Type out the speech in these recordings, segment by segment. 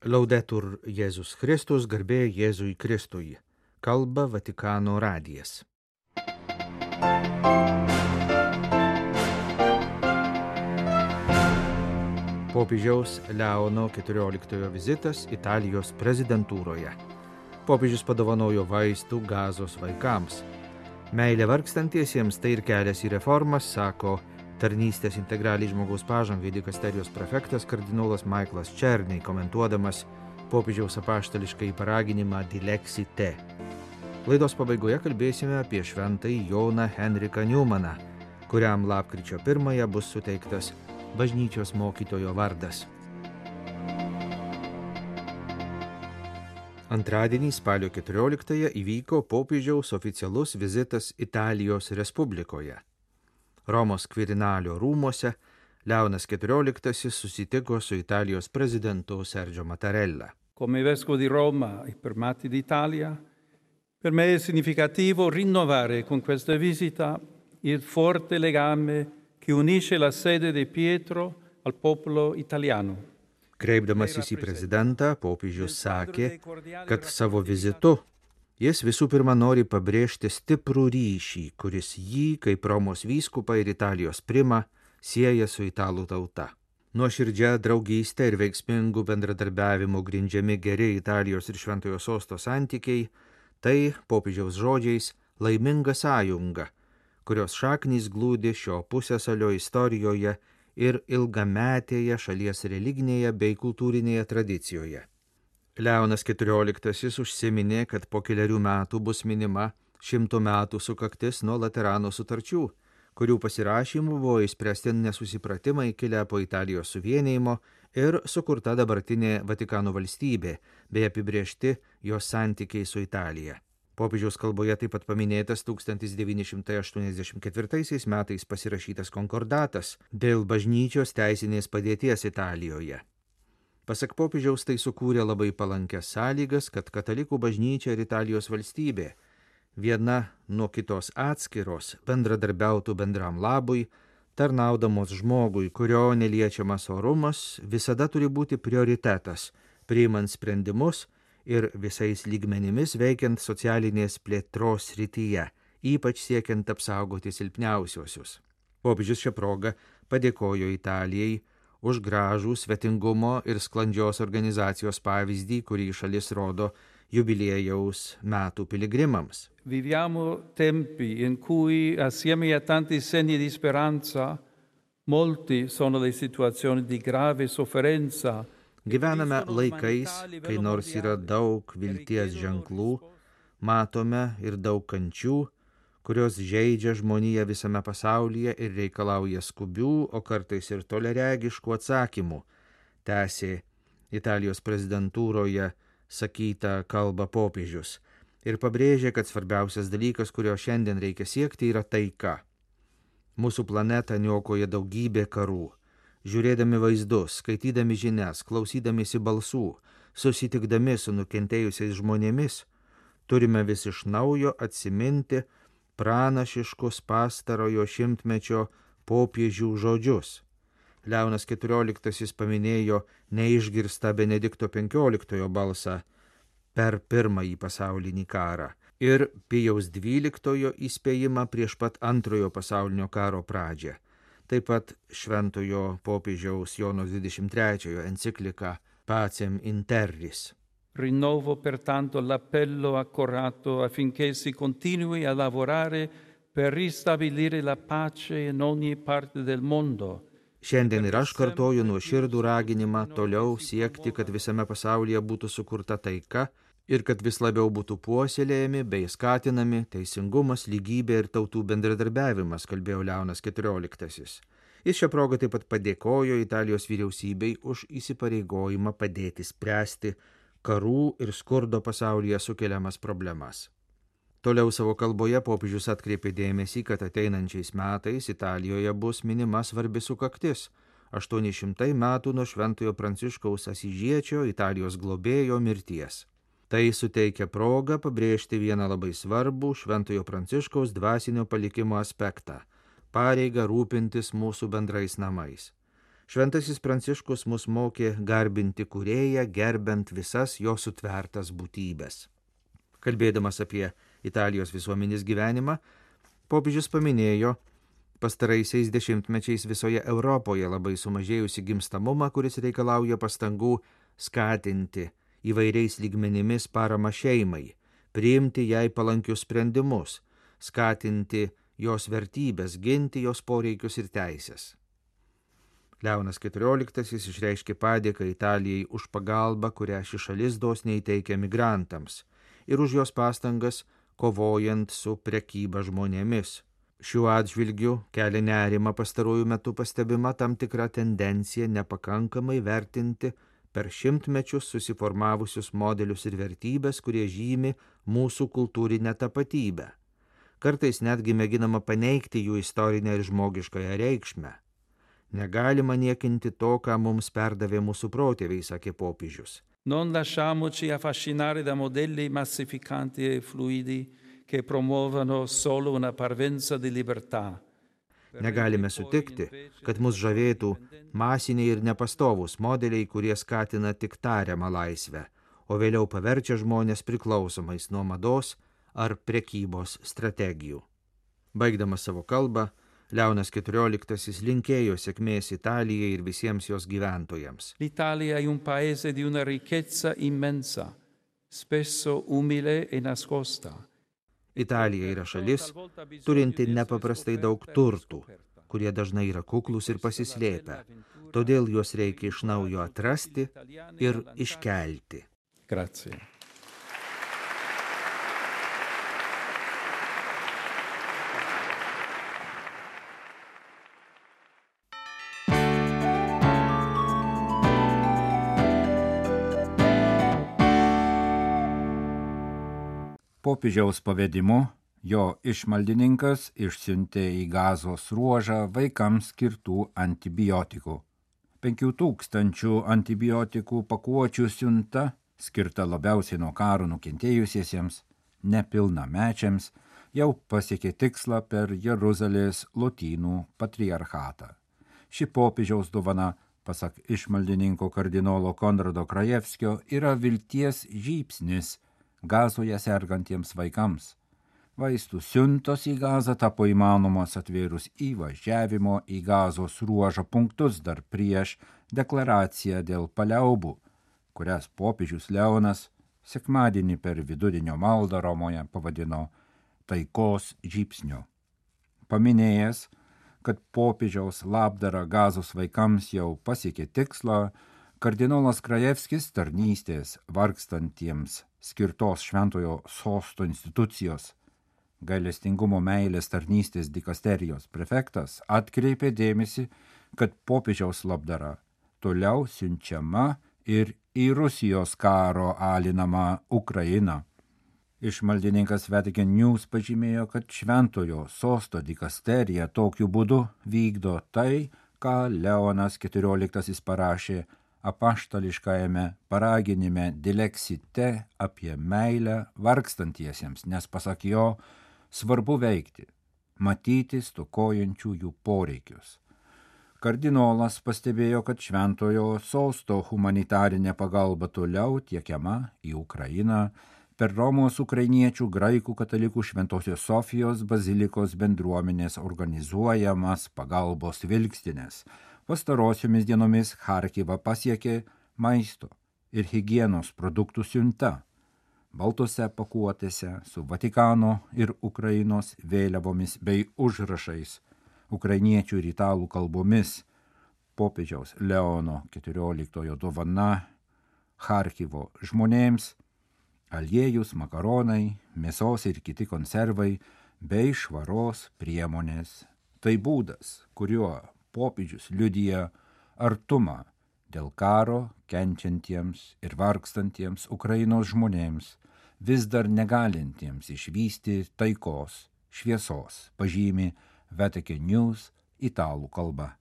Laudetur Jėzus Kristus, garbė Jėzui Kristui. Kalba Vatikano radijas. Popiežiaus Leono XIV vizitas Italijos prezidentūroje. Popiežius padovanojo vaistų Gazos vaikams. Meilė vargstantiesiems tai ir kelias į reformas, sako tarnystės integraliai žmogaus pažangai dikasterijos prefektas kardinolas Michaelas Černiai, komentuodamas popiežiaus apaštališkai paraginimą Dilexite. Laidos pabaigoje kalbėsime apie šventąjį Joną Henriką Newmaną, kuriam lapkričio 1 bus suteiktas bažnyčios mokytojo vardas. Antradienį spalio 14 įvyko popiežiaus oficialus vizitas Italijos Respublikoje. Romos Quirinalio rūmuose Leonas XIV susitiko su Italijos prezidentu Sergio Mattarella. Come vescovo di Roma e Primati d'Italia, per me è significativo rinnovare con questa visita il forte legame che unisce la sede di Pietro al popolo italiano. Kreipdamasis į prezidentą, popiežius sakė, kad savo vizitu jis visų pirma nori pabrėžti stiprų ryšį, kuris jį, kaip Romos vyskupą ir Italijos primą, sieja su italų tauta. Nuoširdžia draugystė ir veiksmingų bendradarbiavimų grindžiami geri Italijos ir Šventojo Sosto santykiai, tai, popiežiaus žodžiais, laiminga sąjunga, kurios šaknys glūdi šio pusiasalio istorijoje ir ilgametėje šalies religinėje bei kultūrinėje tradicijoje. Leonas XIV užsiminė, kad po keliarių metų bus minima 100 metų sukaktis nuo Laterano sutarčių, kurių pasirašymų buvo išspręsti nesusipratimai kilę po Italijos suvienijimo ir sukurta dabartinė Vatikano valstybė, bei apibrėžti jos santykiai su Italija. Popiežiaus kalboje taip pat paminėtas 1984 metais pasirašytas konkordatas dėl bažnyčios teisinės padėties Italijoje. Pasak popiežiaus, tai sukūrė labai palankias sąlygas, kad katalikų bažnyčia ir Italijos valstybė, viena nuo kitos atskiros, bendradarbiautų bendram labui, tarnaudamos žmogui, kurio neliečiamas orumas visada turi būti prioritetas, priimant sprendimus ir visais lygmenimis veikiant socialinės plėtros srityje, ypač siekiant apsaugoti silpniausiuosius. Popiežius šią progą padėkojo Italijai už gražų svetingumo ir sklandžios organizacijos pavyzdį, kurį šalis rodo jubiliejaus metų piligrimams. Viviamo tempi in cui, assieme a tanti segni di speranza, molti sono le situazioni di grave sofferenza. Gyvename laikais, kai nors yra daug vilties ženklų, matome ir daug kančių, kurios žeidžia žmoniją visame pasaulyje ir reikalauja skubių, o kartais ir toliaregiškų atsakymų, tęsė Italijos prezidentūroje sakytą kalbą popiežius ir pabrėžė, kad svarbiausias dalykas, kurio šiandien reikia siekti, yra taika. Mūsų planetą niokoja daugybė karų. Žiūrėdami vaizdus, skaitydami žinias, klausydamiesi balsų, susitikdami su nukentėjusiais žmonėmis, turime vis iš naujo atsiminti pranašiškus pastarojo šimtmečio popiežių žodžius. Leonas XIV paminėjo neišgirstą Benedikto XV balsą per Pirmąjį pasaulinį karą ir Pijaus XII įspėjimą prieš pat Antrojo pasaulinio karo pradžią. Taip pat šventojo popiežiaus Jono 23 enciklika Pacem in Terris. Rinnovo pertanto l'appello accorato affinché si continui a lavorare per ristabilire la pace in ogni parte del mondo. Šiandien ir aš kartoju nuoširdų raginimą toliau siekti, kad visame pasaulyje būtų sukurta taika ir kad vis labiau būtų puoselėjami bei skatinami teisingumas, lygybė ir tautų bendradarbiavimas, kalbėjo Leonas XIV. Jis šią progą taip pat padėkojo Italijos vyriausybei už įsipareigojimą padėti spręsti karų ir skurdo pasaulyje sukeliamas problemas. Toliau savo kalboje popiežius atkreipė dėmesį, kad ateinančiais metais Italijoje bus minima svarbi sukaktis – 800 metų nuo Šventojo Pranciškaus Asyžiečio, Italijos globėjo mirties. Tai suteikia progą pabrėžti vieną labai svarbų Šventojo Pranciškaus dvasinio palikimo aspektą – pareigą rūpintis mūsų bendrais namais. Šventasis Pranciškus mus mokė garbinti Kūrėją, gerbent visas jo sutvertas būtybės. Kalbėdamas apie Italijos visuomenės gyvenimą, popiežius paminėjo pastaraisiais dešimtmečiais visoje Europoje labai sumažėjusi gimstamumą, kuris reikalauja pastangų skatinti įvairiais lygmenimis paramą šeimai, priimti jai palankius sprendimus, skatinti jos vertybės, ginti jos poreikius ir teisės. Leonas XIV išreiškė padėką Italijai už pagalbą, kurią ši šalis dosniai teikia migrantams ir už jos pastangas kovojant su prekyba žmonėmis. Šiuo atžvilgiu kelia nerimą pastaruoju metu pastebima tam tikra tendencija nepakankamai vertinti per šimtmečius susiformavusius modelius ir vertybės, kurie žymi mūsų kultūrinę tapatybę. Kartais netgi mėginama paneigti jų istorinę ir žmogiškąją reikšmę. Negalima niekinti to, ką mums perdavė mūsų protėviai, sakė popiežius. Non lasciamoci affascinare da modelli massificanti e fluidi che promuovono solo una parvenza di libertà. Negalime sutikti, kad mus žavėtų masiniai ir nepastovūs modeliai, kurie skatina tik tariamą laisvę, o vėliau paverčia žmonės priklausomais nuo mados ar prekybos strategijų. Baigdamas savo kalbą, Leonas XIV linkėjo sėkmės Italijai ir visiems jos gyventojams. L'Italia è un paese di una ricchezza immensa, spesso umile e nascosta. Italija yra šalis, turinti nepaprastai daug turtų, kurie dažnai yra kuklus ir pasislėpę, todėl juos reikia iš naujo atrasti ir iškelti. Grazie. Popiežiaus pavedimu jo išmaldininkas išsiuntė į Gazos ruožą vaikams skirtų antibiotikų. 5000 antibiotikų pakuočių siunta, skirta labiausiai nuo karo nukentėjusiesiems, nepilnamečiams, jau pasiekė tikslą per Jeruzalės lotynų patriarchatą. Ši popiežiaus dovana, pasak išmaldininko kardinolo Konrado Krajevskio, yra vilties žybsnis Gazoje sergantiems vaikams. Vaistų siuntos į Gazą tapo įmanomos atvėrus įvažiavimo į Gazos ruožą punktus dar prieš deklaraciją dėl paliaubų, kurias popiežius Leonas sekmadienį per vidudienio maldą Romoje pavadino taikos žybsniu. Paminėjęs, kad popiežiaus labdara Gazos vaikams jau pasiekė tikslą, kardinolas Krajevskis tarnystės vargstantiems skirtos Šventojo Sosto institucijos gailestingumo meilės tarnystės dikasterijos prefektas atkreipė dėmesį, kad popiežiaus labdara toliau siunčiama ir į Rusijos karo alinamą Ukrainą. Išmaldininkas Vatican News pažymėjo, kad Šventojo Sosto dikasterija tokiu būdu vykdo tai, ką Leonas XIV parašė apaštališkajame paraginime Dilexite apie meilę vargstantiesiems, nes pasak jo svarbu veikti, matyti stokojančių jų poreikius. Kardinolas pastebėjo, kad Šventojo Sosto humanitarinė pagalba toliau tiekiama į Ukrainą per Romos ukrainiečių graikų katalikų Šventosios Sofijos bazilikos bendruomenės organizuojamas pagalbos vilkstinės. Pastarosiomis dienomis Charkivą pasiekė maisto ir higienos produktų siunta, baltose pakuotėse su Vatikano ir Ukrainos vėliavomis bei užrašais ukrainiečių ir italų kalbomis. Popiežiaus Leono XIV dovana Charkivo žmonėms aliejus, makaronai, mėsos ir kiti konservai bei švaros priemonės. Tai būdas, kuriuo popiežius liudija artumą dėl karo kenčiantiems ir vargstantiems Ukrainos žmonėms, vis dar negalintiems išvysti taikos, šviesos, pažymi Vatican News italų kalba.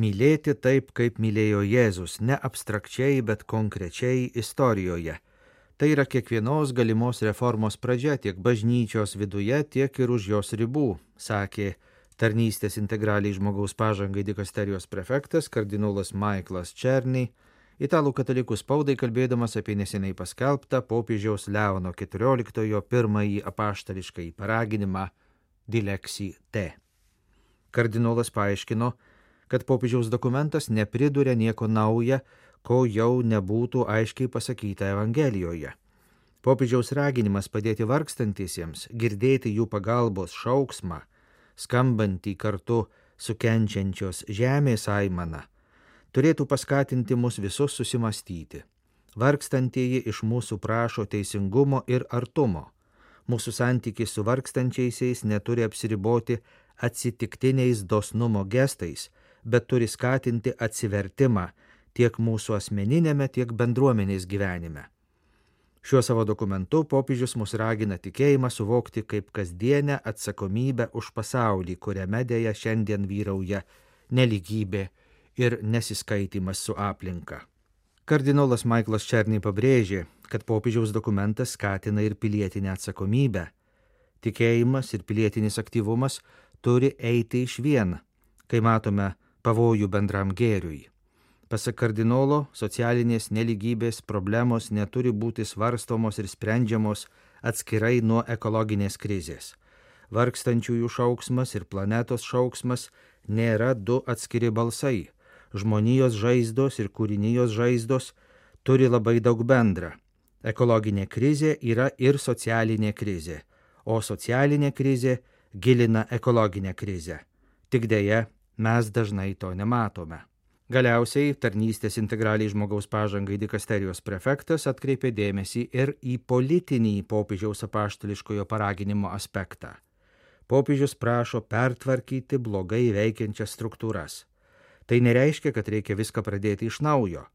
Mylėti taip, kaip mylėjo Jėzus, ne abstrakčiai, bet konkrečiai istorijoje. Tai yra kiekvienos galimos reformos pradžia tiek bažnyčios viduje, tiek ir už jos ribų, sakė tarnystės integraliai žmogaus pažangai dikasterijos prefektas kardinolas Michaelas Černy, italų katalikų spaudai kalbėdamas apie neseniai paskelbtą popiežiaus Leono XIV pirmąjį apaštališkąjį paraginimą Dilexi Te. Kardinolas paaiškino, kad popiežiaus dokumentas nepriduria nieko nauja, ko jau nebūtų aiškiai pasakyta Evangelijoje. Popiežiaus raginimas padėti vargstantiesiems, girdėti jų pagalbos šauksmą, skambantį kartu su kenčiančios žemės aimana, turėtų paskatinti mus visus susimastyti. Vargstantieji iš mūsų prašo teisingumo ir artumo. Mūsų santykis su vargstančiaisiais neturi apsiriboti atsitiktiniais dosnumo gestais, bet turi skatinti atsivertimą tiek mūsų asmeninėme, tiek bendruomenės gyvenime. Šiuo savo dokumentu popiežius mus ragina tikėjimą suvokti kaip kasdienę atsakomybę už pasaulį, kuriame dėja šiandien vyrauja nelygybė ir nesiskaitimas su aplinka. Kardinolas Michaelas Černy pabrėžė, kad popiežiaus dokumentas skatina ir pilietinę atsakomybę. Tikėjimas ir pilietinis aktyvumas turi eiti išvien, kai matome pavojų bendram gėriui. Pasak kardinolo, socialinės nelygybės problemos neturi būti svarstomos ir sprendžiamos atskirai nuo ekologinės krizės. Vargstančiųjų šauksmas ir planetos šauksmas nėra du atskiri balsai. Žmonijos žaizdos ir kūrinijos žaizdos turi labai daug bendra. Ekologinė krizė yra ir socialinė krizė, o socialinė krizė gilina ekologinę krizę. Tik deja, mes dažnai to nematome. Galiausiai tarnystės integraliai žmogaus pažangai dikasterijos prefektas atkreipė dėmesį ir į politinį popiežiaus apaštališkojo paraginimo aspektą. Popiežius prašo pertvarkyti blogai veikiančias struktūras. Tai nereiškia, kad reikia viską pradėti iš naujo,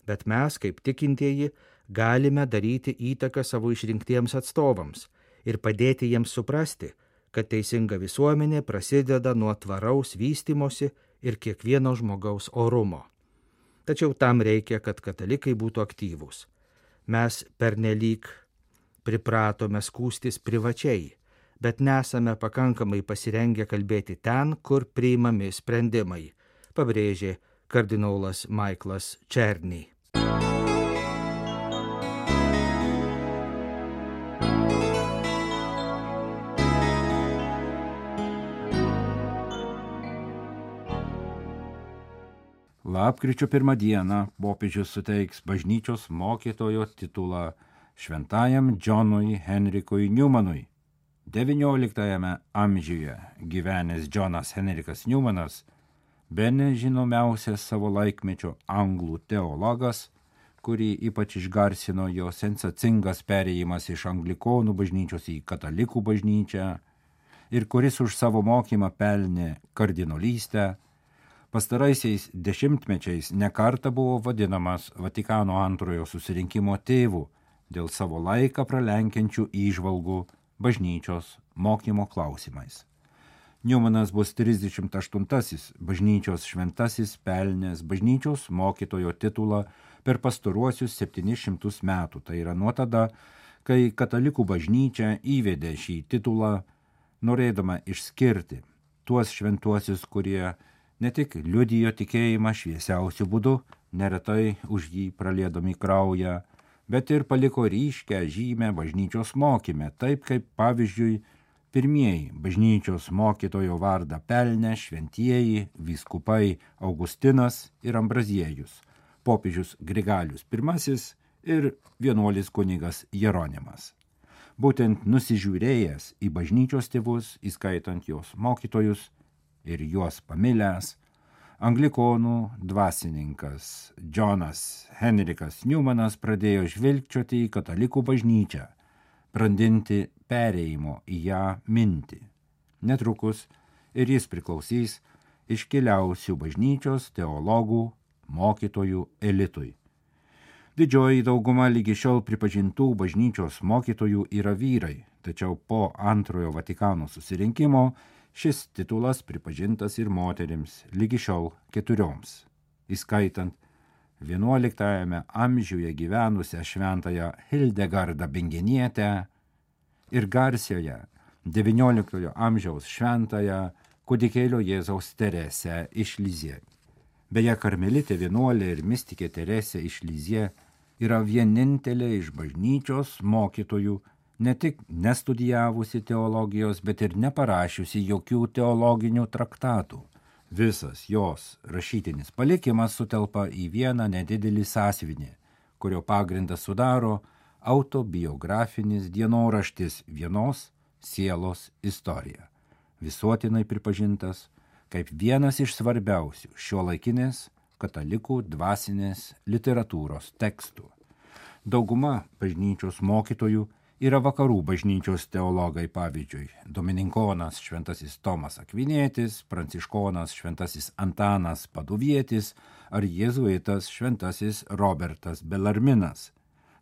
bet mes, kaip tikintieji, galime daryti įtaką savo išrinktiems atstovams ir padėti jiems suprasti, kad teisinga visuomenė prasideda nuo tvaraus vystymosi ir kiekvieno žmogaus orumo. Tačiau tam reikia, kad katalikai būtų aktyvūs. Mes pernelyg pripratome skųstis privačiai, bet nesame pakankamai pasirengę kalbėti ten, kur priimami sprendimai, pabrėžė kardinolas Michaelas Černy. Lapkričio 1 dieną popiežius suteiks bažnyčios mokytojo titulą šventajam Džonui Henrikui Newmanui. XIX amžiuje gyvenęs Džonas Henrikas Newmanas, bene žinomiausias savo laikmečio anglų teologas, kurį ypač išgarsino jo sensacingas perėjimas iš anglikonų bažnyčios į katalikų bažnyčią ir kuris už savo mokymą pelnė kardinolystę, pastaraisiais dešimtmečiais nekartą buvo vadinamas Vatikano antrojo susirinkimo tėvu dėl savo laiką pralenkiančių įžvalgų bažnyčios mokymo klausimais. Newmanas bus 38-asis bažnyčios šventasis pelnęs bažnyčios mokytojo titulą per pastaruosius 700 metų. Tai yra nuo tada, kai katalikų bažnyčia įvedė šį titulą, norėdama išskirti tuos šventuosius, kurie ne tik liudijo tikėjimą šviesiausiu būdu, neretai už jį praliedami kraują, bet ir paliko ryškę žymę bažnyčios mokyme, taip kaip pavyzdžiui pirmieji bažnyčios mokytojo vardą pelnę šventieji vyskupai Augustinas ir Ambraziejus, popiežius Grigalius I ir vienuolis kunigas Jeronimas. Būtent nusižiūrėjęs į bažnyčios tėvus, įskaitant jos mokytojus, ir juos pamilęs, anglikonų dvasininkas Džonas Henrikas Newmanas pradėjo žvilgčioti į katalikų bažnyčią, brandinti perėjimo į ją mintį. Netrukus ir jis priklausys iškiliausių bažnyčios teologų, mokytojų elitui. Didžioji dauguma lygi šiol pripažintų bažnyčios mokytojų yra vyrai, tačiau po antrojo Vatikano susirinkimo šis titulas pripažintas ir moterims, lygi šiol 4, įskaitant XI amžiuje gyvenusią šventąją Hildegardą Bingenietę ir garsioje XIX amžiaus šventąją Kūdikėlio Jėzaus Teresę iš Lizie. Beje, karmelitė vienuolė ir mistikė Teresė iš Lizie yra vienintelė iš bažnyčios mokytojų, ne tik nestudijavusi teologijos, bet ir neparašiusi jokių teologinių traktatų. Visas jos rašytinis palikimas sutelpa į vieną nedidelį sąsiuvinį, kurio pagrindą sudaro autobiografinis dienoraštis vienos sielos istorija, visuotinai pripažintas kaip vienas iš svarbiausių šiuolaikinės katalikų dvasinės literatūros tekstų. Dauguma bažnyčios mokytojų yra vakarų bažnyčios teologai, pavyzdžiui, dominikonas šventasis Tomas Akvinėtis, pranciškonas šventasis Antanas Paduvietis ar jėzuitas šventasis Robertas Belarminas.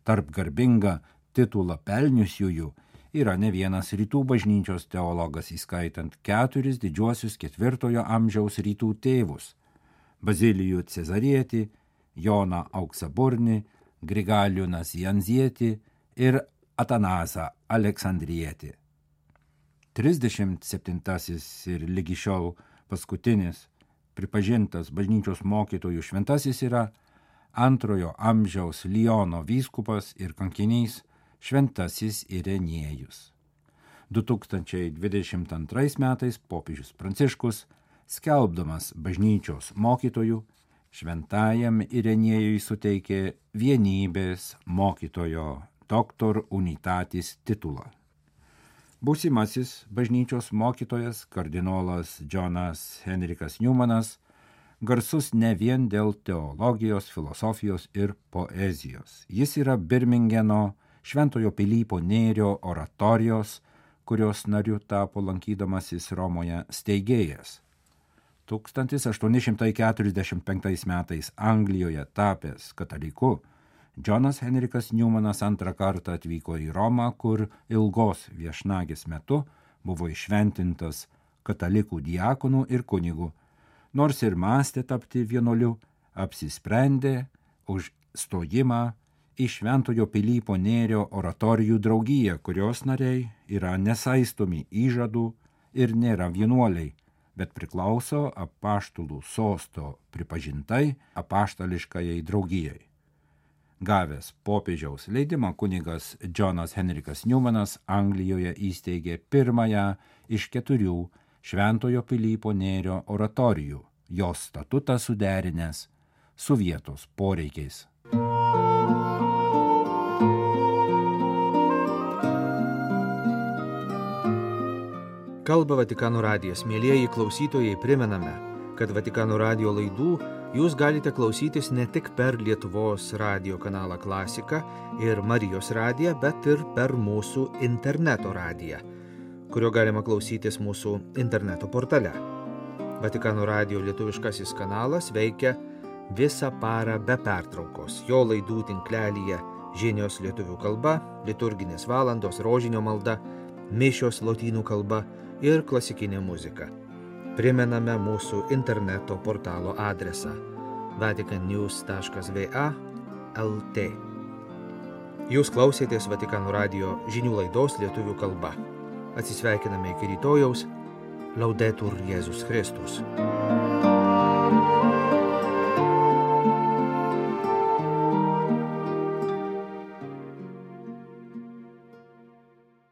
Tarp garbingą titulą pelniusiųjų yra ne vienas rytų bažnyčios teologas, įskaitant 4 didžiuosius 4 amžiaus rytų tėvus – Bazilijų Cezarietį, Joną Auksaburnį, Grigalių Nazianzietį ir Atanasą Aleksandrietį. 37 ir lygi šiol paskutinis pripažintas bažnyčios mokytojų šventasis yra 2 amžiaus Liono vyskupas ir kankinys šventasis Irenėjus. 2022 metais popiežius Pranciškus, skelbdamas bažnyčios mokytojų, šventajam Irenėjui suteikė vienybės mokytojo Doctor Unitatis titulą. Būsimasis bažnyčios mokytojas kardinolas Jonas Henrikas Newmanas garsus ne vien dėl teologijos, filosofijos ir poezijos. Jis yra Birmingeno Šventojo Pilypo Nėrio oratorijos, kurios nariu tapo lankydamasis Romoje steigėjas. 1845 metais Anglijoje tapęs kataliku, Jonas Henrikas Newmanas 2 kartą atvyko į Romą, kur ilgos viešnagės metu buvo iššventintas katalikų diakonų ir kunigų. Nors ir mąstė tapti vienuoliu, apsisprendė už stojimą į Šventojo Pilypo Nėrio oratorijų draugiją, kurios nariai yra nesaistomi įžadų ir nėra vienuoliai, bet priklauso apaštalų sosto pripažintai apaštališkajai draugijai. Gavęs popiežiaus leidimą, kunigas Jonas Henrikas Newmanas Anglijoje įsteigė pirmąją iš 4 Šventojo Pilypo Nėrio oratorijų, jos statutą suderinęs su vietos poreikiais. Kalba Vatikano radijas. Mielieji klausytojai, primename, kad Vatikano radijo laidų jūs galite klausytis ne tik per Lietuvos radijo kanalą Klasika ir Marijos radiją, bet ir per mūsų interneto radiją, kurio galima klausytis mūsų interneto portale. Vatikano radijo lietuviškasis kanalas veikia visą parą be pertraukos. Jo laidų tinklelyje žinios lietuvių kalba, liturginės valandos, rožinio malda, mišios lotynų kalba ir klasikinė muzika. Primename mūsų interneto portalo adresą vaticannews.va/lt. Jūs klausėtės Vatikano radijo žinių laidos lietuvių kalba. Atsisveikiname iki rytojaus. Laudetur Jėzus Kristus.